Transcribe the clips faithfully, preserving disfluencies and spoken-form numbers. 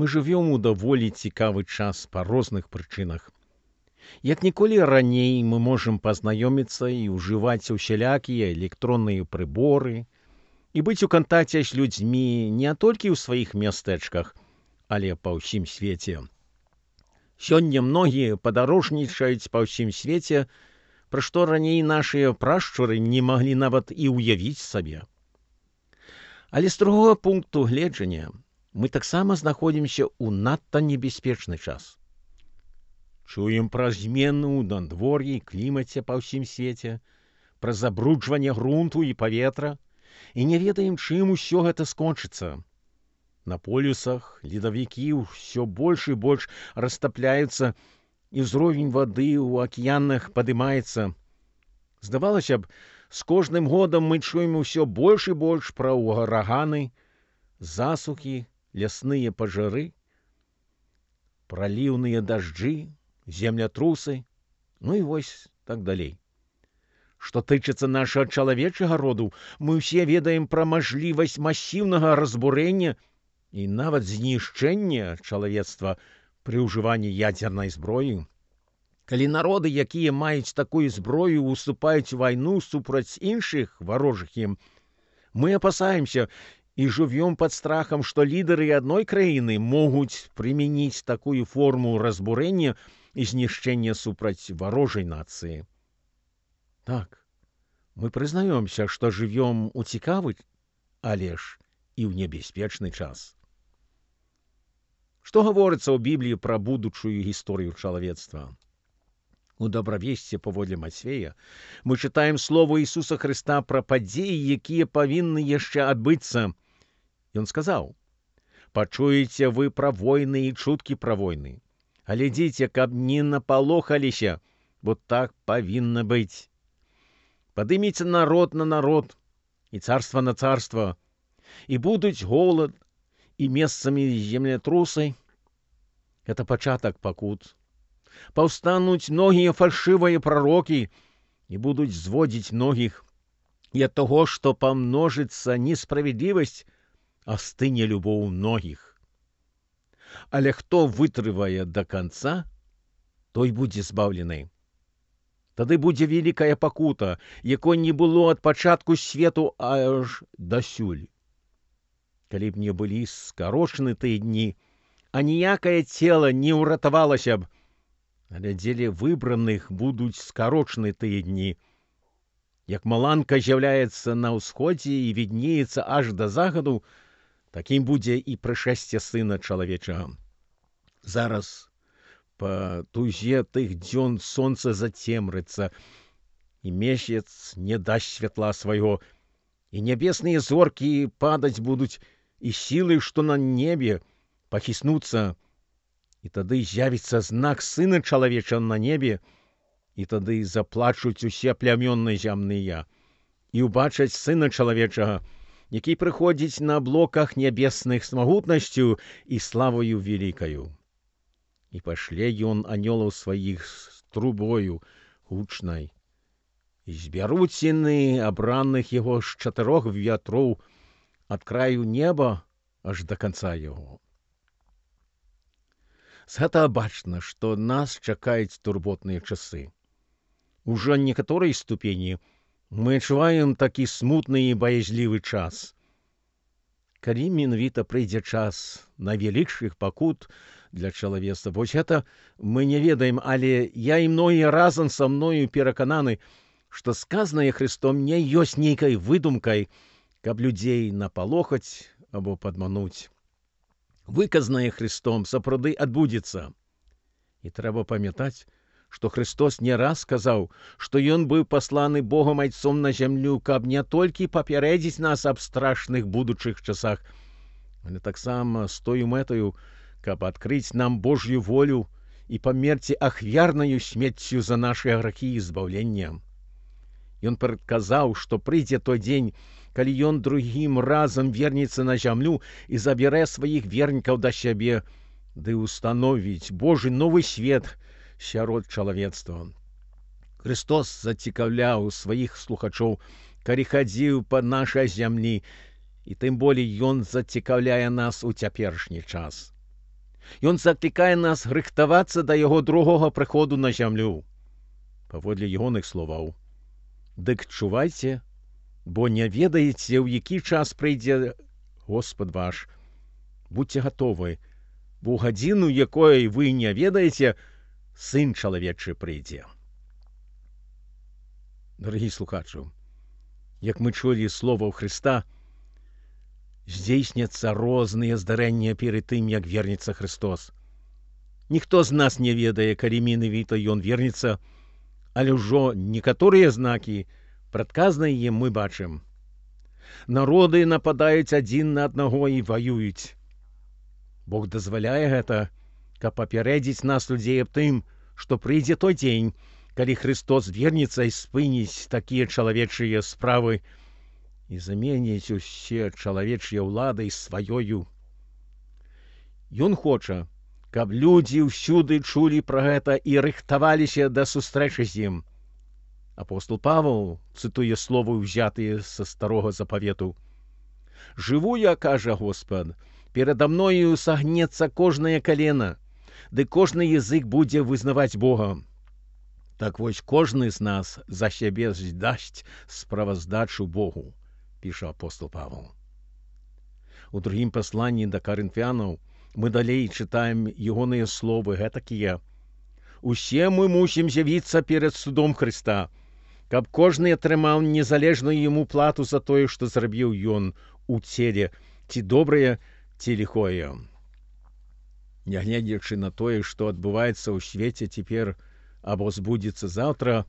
Мы жывём у даволі цікавы час па розных прычынах. Як ніколі раней мы можам пазнаёміцца і ўжываць усялякія электронныя прыборы і быць у кантакце з людзьмі не толькі ў сваіх мястэчках, але па ўсім свеце. Сёння многія падарожнічаюць па ўсім свеце, пра што раней нашыя прашчуры не маглі нават і ўявіць сабе. Але з другога пункту гледжання мы таксама знаходзімся ў надта небяспечны час. Чуем пра змены ў надвор'і і клімаце па ўсім свеце, пра забруджванне грунту і паветра, і не ведаем, чым усё гэта скончыцца. На полюсах ледавікі ўсё больш і больш растапляюцца, і ўзровень вады ў акіянах падымаецца. Здавалася б, з кожным годам мы чуем усё больш і больш пра ўраганы, засухі, лясныя пажары, праліўныя дажджы, землятрусы, ну і вось так далей. Што тычыцца нашага чалавечага роду, мы ўсе ведаем пра мажлівасць масіўнага разбурэння і нават знішчэння чалавецтва пры ўжыванні ядзернай зброі. Калі народы, якія маюць такую зброю, уступаюць у вайну супраць іншых варожых ім, мы апасаемся і жывём пад страхам, што лідары адной краіны могуць прымяніць такую форму разбурэння і знішчэння супраць варожай нацыі. Так, мы прызнаёмся, што жывём у цікавы, але ж і ў небяспечны час. Што гаворыцца ў Бібліі пра будучую гісторыю чалавецтва? У добравесці паводле Мацвея мы чытаем слово Ісуса Хрыста пра падзеі, якія павінны яшчэ адбыцца. Ён сказаў: «Пачуеце вы пра войны і чуткі пра войны. Глядзіце, каб не напалохаліся, бо так павінна быць. Падыміце народ на народ і царства на царства, і будуць голад і месцамі землятрусы». Это пачатак пакут. Паўстануць многія фальшывыя прарокі і будуць зводзіць многіх. І ад таго, што памножыцца несправядлівасць, астыне любоў многіх. Але хто вытрывае да канца, той будзе збаўлены. Тады будзе вялікая пакута, якой не было ад пачатку свету аж дасюль. Калі б не былі скарочаны тыя дні, а ніякае цела не ўратавалася б, але дзеля выбраных будуць скарочаны тыя дні. Як маланка з'яўляецца на ўсходзе і віднеецца аж да загаду, такім будзе і прышэсце Сына Чалавечага. Зараз па тузе тых дзён сонца зацемрыцца, і месяц не дасць святла свайго, і нябесныя зоркі падаць будуць, і сілы, што на небе, пахіснуцца, і тады з'явіцца знак Сына Чалавечага на небе, і тады заплачуць усе плямёны зямныя, і ўбачаць Сына Чалавечага, які прыходзіць на аблоках нябесных з магутнасцю і славою велікаю. І пашле ён анёлаў сваіх з трубою гучнай, і збяруць яны абраных яго з чатырох вятроў ад краю неба аж да канца яго. З гэтага бачна, што нас чакаюць турботныя часы. Ужо некаторай ступені мы адчуваем такі смутны і баязлівы час. Калі менавіта прыйдзе час найвялікшых пакут для чалавецтва, вось гэта мы не ведаем, але я і многія разам са мною перакананы, што сказанае Христом не ёсць нейкай выдумкай, каб людзей напалохаць або падмануць. Выказанае Христом сапраўды адбудзецца. І трэба памятаць, што Христос не раз сказаў, што ён быў пасланы Богам Айцом на зямлю, каб не толькі папярэдзіць нас аб страшных будучых часах, але таксама з тою мэтаю, каб адкрыць нам Божью волю і памерці ахвярнаю смерцю за нашы грахі і збаўлення. Ён прадказаў, што прыйдзе той дзень, калі ён другім разам вернецца на зямлю і забярэ сваіх вернікаў да сябе, ды ўстановіць Божы новы свет сярод чалавецтва. Христос зацікаўляў сваіх слухачоў, калі хадзіў па нашай зямлі, і тым болей ён зацікаўляе нас у цяперашні час. Ён закликае нас рыхтавацца да яго другога прыходу на зямлю. Паводле ягоных словаў: «Дык чувайце, бо не ведаеце, ў які час прыйдзе Господ ваш. Будьце гатовы, бо ў гадзіну, якой вы не ведаеце, Сын чалавечы прыйдзе». Дорогі слухачу, як мы чулі словаў Христа, здзейсняцца розныя здарэнні перед тым, як вернецца Христос. Ніхто з нас не ведае, калі менавіта ён вернецца, але ўжо некаторыя знакі прадказныя мы бачым. Народы нападаюць адзін на аднаго і ваююць. Бог дазваляе гэта, каб папярэдзіць нас, людзей, аб тым, што прыйдзе той дзень, калі Христос вернецца і спыніць такія чалавечыя справы і заменіць усе чалавечыя ўлады сваёю. Ён хоча, каб людзі ўсюды чулі пра гэта і рыхтаваліся да сустрэчы з ім. Апостол Павел цытуе словы, ўзятыя са старога запавету: «Жыву я, кажа Господ, перада мною сагнецца кожнае калена, ды кожны язык будзе вызнаваць Бога». Так вось кожны з нас за сябе здасць справаздачу Богу, піша апостол Павел. У другім пасланні да карынфянаў мы далей чытаем ягоныя словы гэтакія: «Усе мы мусім з'явіцца перад судом Христа, каб кожны атрымаў незалежную яму плату за тое, што зрабіў ён у целе, ці добрае, ці ліхое». Нягледзячы на тое, што адбываецца ў свеце цяпер або збудзецца заўтра,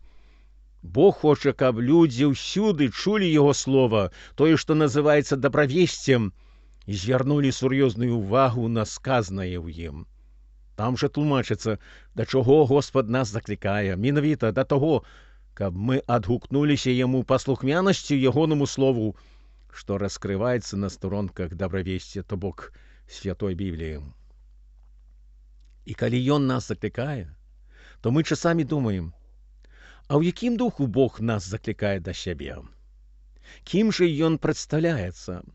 Бог хоча, каб людзі ўсюды чулі яго слова, тое, што называецца добравесцем, і звярнулі сур'ёзную ўвагу на сказанае ў ім. Там жа тлумачыцца, да чаго Господ нас заклікае, менавіта да таго, каб мы адгукнуліся яму паслухмянасцю ягонаму слову, што раскрываецца на старонках добравесця, то бок Святой Бібліі. І калі ён нас заклікае, то мы часамі думаем: а ў якім духу Бог нас заклікае да сябе? Кім жа ён прадстаўляецца?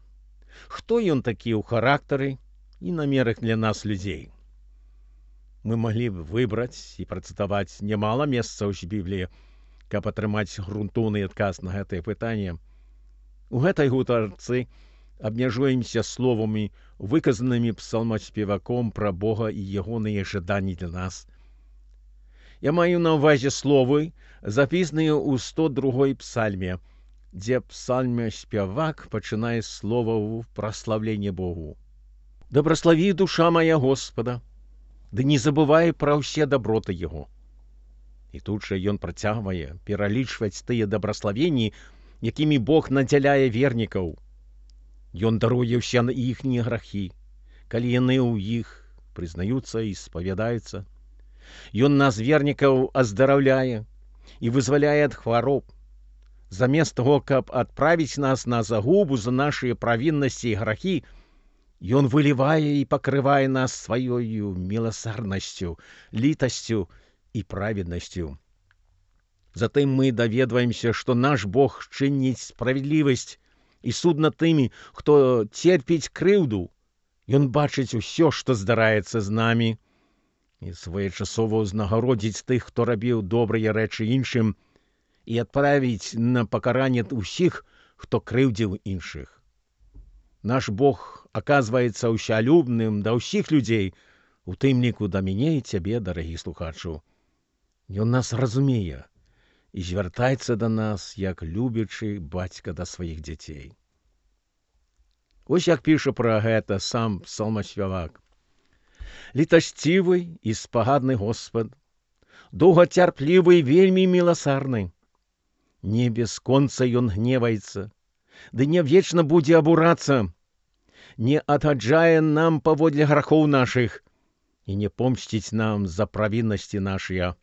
Хто ён такі ў характары і намерах для нас, людзей? Мы маглі б выбраць і працытаваць нямала месцаў з Бібліі, каб атрымаць грунтоўны адказ на гэтае пытанне. У гэтай гутарцы абмяжуемся словамі, выказанымі псалмаспеваком пра Бога і ягоныя жаданні для нас. Я маю на ўвазе словы, запісаныя ў сто другой псальме, дзе псальмаспявак пачынае з словаў праслаўлення Богу. «Дабраславі, душа моя, Господа, ды не забывай пра ўсе даброты Яго». І тут жа ён працягвае пералічваць тыя дабраславенні, якімі Бог надзяляе вернікаў. Ён даруе ўсе іхнія грахі, калі яны ў іх прызнаюцца і спавядаюцца. Ён нас, вернікаў, аздараўляе і вызваляе ад хвароб. Замест таго, каб адправіць нас на загубу за нашыя правіннасці і грахі, ён вылівае і пакрывае нас сваёю міласарнасцю, літасцю і праведнасцю. Затым мы даведваемся, што наш Бог чыніць справядлівасць і суд над тымі, хто церпіць крыўду. Ён бачыць усё, што здараецца з намі, і своечасова ўзнагародзіць тых, хто рабіў добрыя рэчы іншым, і адправіць на пакаранне ўсіх, хто крыўдзіў іншых. Наш Бог аказваецца ўсялюбным да ўсіх людзей, у тым ліку да мяне і цябе, дарагі слухачу. Ён нас разумее і звяртаецца да нас, як любячы бацька да сваіх дзяцей. Вось як піша пра гэта сам псалмаспявак: «Літасцівы і спагадны Господ, доўгацярплівы і вельмі міласарны. Не без конца ён гневаецца, ды не вечна будзе абурацца, не адгаджае нам паводле грахоў нашых і не помсціць нам за правіннасці нашыя.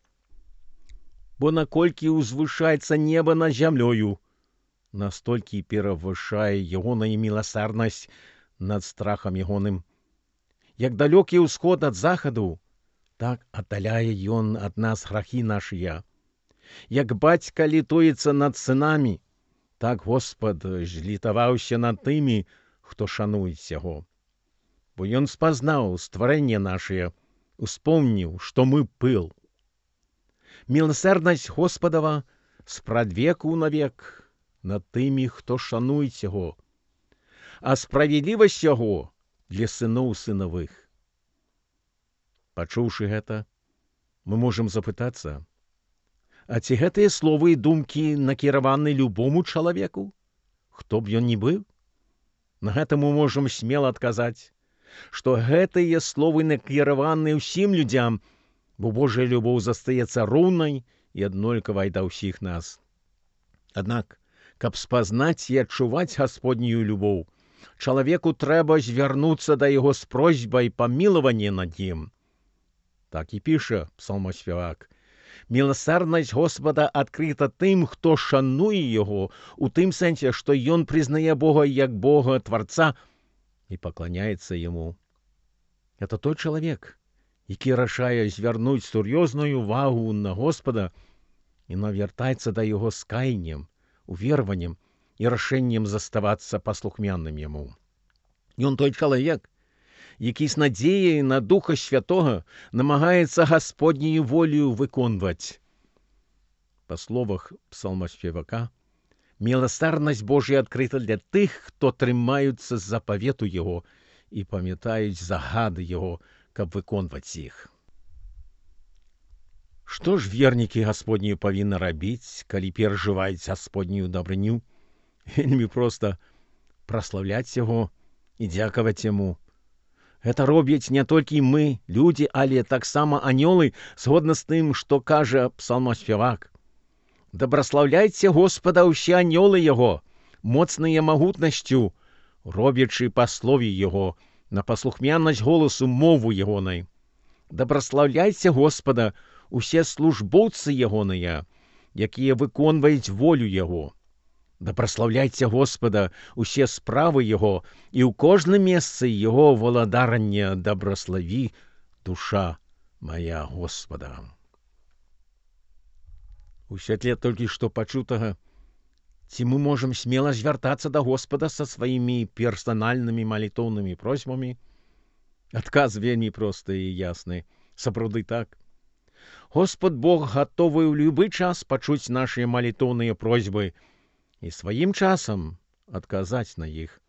Бо наколькі ўзвышаецца неба над зямлёю, настолькі перавышае ягоная міласарнасць над страхам ягоным. Як далёкі ўсход ад захаду, так аддаляе ён ад нас грахі нашыя. Як бацька літуецца над сынамі, так Господ злітаваўся над тымі, хто шануюць яго. бо ён спазнаў стварэнне нашае, успомніў, што мы пыл. Міласерднасць Господава спрадвеку навек над тымі, хто шануюць яго, а справядлівасць яго для сыноў сынавых. Пачуўшы гэта, мы можам запытацца, а ці гэтыя словы і думкі накіраваны любому чалавеку, хто б ён ні быў? На гэта мы можам смела адказаць, што гэтыя словы накіраваны ўсім людзям, бо Божая любоў застаецца роўнай і аднолькавай да ўсіх нас. Аднак, каб спазнаць і адчуваць Гасподнюю любоў, чалавеку трэба звярнуцца да яго з просьбай памілавання над ім. Так і піша псалмаспявак. Міласерднасць Господа адкрыта тым, хто шануе яго, у тым сэнсе, што ён прызнае Бога як Бога Тварца і пакланяецца яму. Это той чалавек, які рашае звярнуць сур'ёзную увагу на Господа і навяртаецца да яго з каяннем, уверваннем і рашэннем заставацца паслухмяным яму. Ён той чалавек, які з надзеяй на Духа Святога намагаецца Гасподнюю волю выконваць. Па словах псалмаспевака, міласерднасць Божая адкрыта для тых, хто трымаюцца запавету яго і памятаюць загады яго, каб выконваць іх. Што ж вернікі Гасподнюю павінны рабіць, калі перажываюць Гасподнюю дабрыню? Вельмі проста праслаўляць яго і дзякаваць яму. Гэта робяць не толькі мы, людзі, але таксама анёлы, згодна з тым, што кажа псалмаспявак. Дабраслаўляйце Господа ўсе анёлы яго, моцныя магутнасцю, робячы па слове яго, на паслухмянасць голасу мову ягонай. Дабраслаўляйце Господа усе службоўцы ягоныя, якія выконваюць волю яго. Дабраслаўляйце Господа усе справы яго, і ў кожным месцы яго валадарання дабраславі душа мая Господа. У святле толькі што пачутага, ці мы можам смела звяртацца да Господа са сваімі персанальнымі малітоўнымі просьбамі? Адказ вельмі просты і ясны. Сапраўды так. Господ Бог гатовы ў любы час пачуць нашыя малітоўныя просьбы і сваім часам адказаць на іх.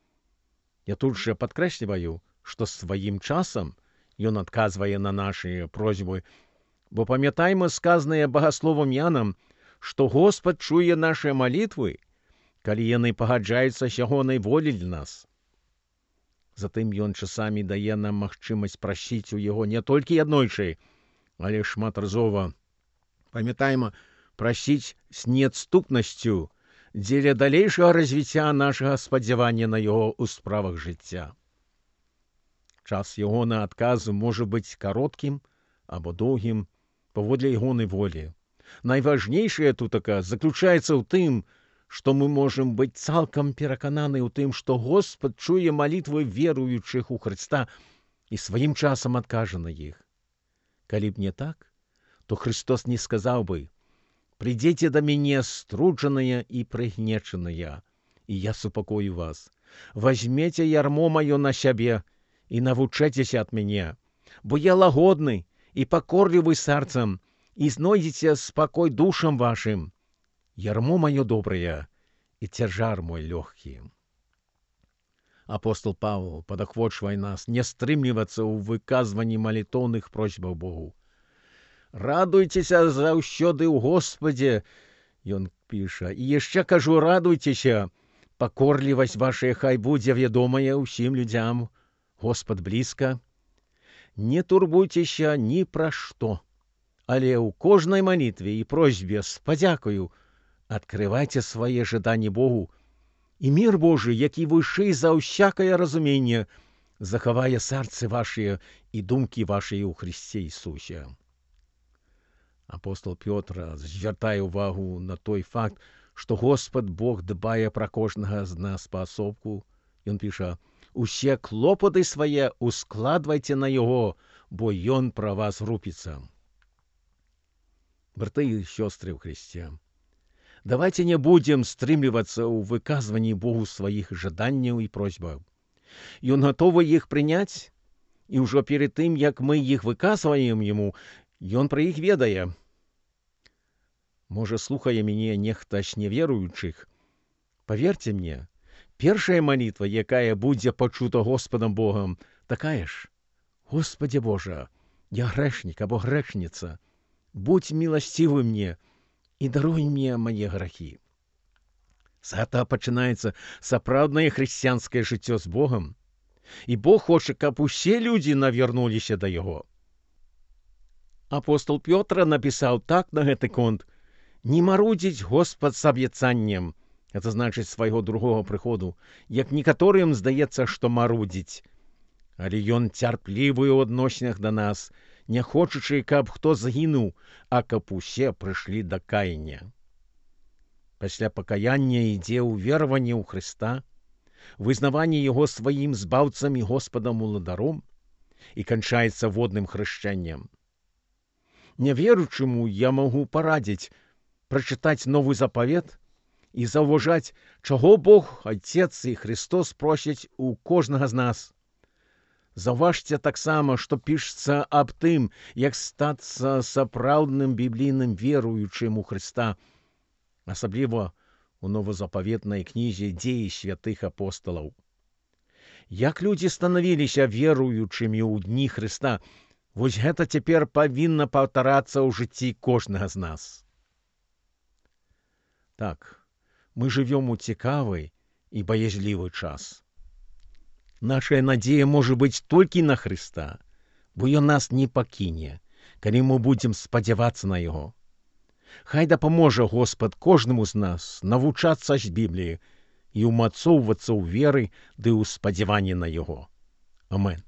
Я тут жа падкрэсліваю, што сваім часам ён адказвае на нашыя просьбы, бо памятайма сказанае багасловам Янам, што Господ чуе нашыя малітвы, калі яны пагаджаюцца з ягонай волі для нас. Затым ён часамі дае нам магчымасць прасіць у яго не толькі аднойчы, але шматразова. Памятайма, прасіць з неадступнасцю дзеля далейшага развіцця нашага спадзявання на яго ў справах жыцця. Час ягона адказу можа быць кароткім або доўгім паводле ягонай волі. Найважнейшае тутака заключаецца ў тым, што мы можам быць цалкам перакананы ў тым, што Господ чуе малітвы веруючых у Хрыста і сваім часам адкажа на іх. Калі б не так, то Христос не сказаў бы: «Придзіце да мяне струджаныя і прыгнечаныя, і я супакою вас. Возьмеце ярмо маё на сябе і навучэцеся ад мяне, бо я лагодны і пакорлівы сэрцам, і знойдзеце спакой душам вашым. Ярмо маё добрае, і цяжар мой лёгкі». Апостол Павел падахвочвае нас не стрымлівацца ў выказванні малітоўных просьбаў Богу. «Радуйцеся заўсёды ў Господе», ён піша, «і яшчэ кажу, радуйцеся, пакорлівасць вашая хай будзе вядомая ўсім людзям, Господ блізка. Не турбуйцеся ні пра што, але ў кожнай малітве і просьбе з падзякаю адкрывайце свае жаданні Богу, і мір Божы, які вышэй за ўсякае разуменне, захавае сэрцы вашыя і думкі вашыя ў Христе Ісусе». Апостол Пётр звяртае ўвагу на той факт, што Господ Бог дбае пра кожнага з нас паасобку. Ён піша: «Усе клопаты свае ускладвайце на яго, бо ён пра вас рупіцца». Браты і сёстры ў Христе, давайте не будзем стрымлівацца ў выказванні Богу сваіх жаданняў і просьбаў. Ён гатовы іх прыняць І ўжо перед тым, як мы іх выказваем яму, ён пра іх ведае. Можа, слухае мяне нехта з неверуючых. Паверце мне, першая малітва, якая будзе пачута Господам Богам, такая ж: «Господи Боже, я грэшнік або грэшніца, будь міласцівы мне і даруй мне мае грахі». З гэтага пачынаецца сапраўднае хрысціянскае жыццё з Богам. І Бог хоча, каб усе людзі навярнуліся да Яго. Апостол Пётр напісаў так на гэты конт: «Не марудзіць Господ з абяцаннем», гэта значыць свайго другога прыходу, як некаторым здаецца, што марудзіць. Але ён цярплівы ў адносінах да нас, не хочучы, каб хто загінуў, а каб усе прыйшлі да каяння. Пасля пакаяння ідзе ўвераванне ў Хрыста, вызнаванне Яго сваім збаўцам і Господам уладаром, і канчаецца водным хрышчэннем. Няверуючаму я магу парадзіць прачытаць Новы Запавет і заўважаць, чаго Бог, Отец і Христос просяць у кожнага з нас. Заўважце таксама, што пішецца аб тым, як стацца сапраўдным біблійным веруючым у Хрыста, асабліва у новазапаветнай кнізе «Дзеі святых апосталаў». Як людзі станавіліся веруючымі ў дні Хрыста, вось гэта цяпер павінна паўтарацца ў жыцці кожнага з нас. Так, мы жывём у цікавы і баязлівы час. Нашая надзея можа быць толькі на Хрыста, бо Ён нас не пакіне, калі мы будзем спадзявацца на Яго. Хай дапаможа Господ кожнаму з нас навучацца з Бібліі і ўмацоўвацца ў веры ды ў спадзяванні на Яго. Амен.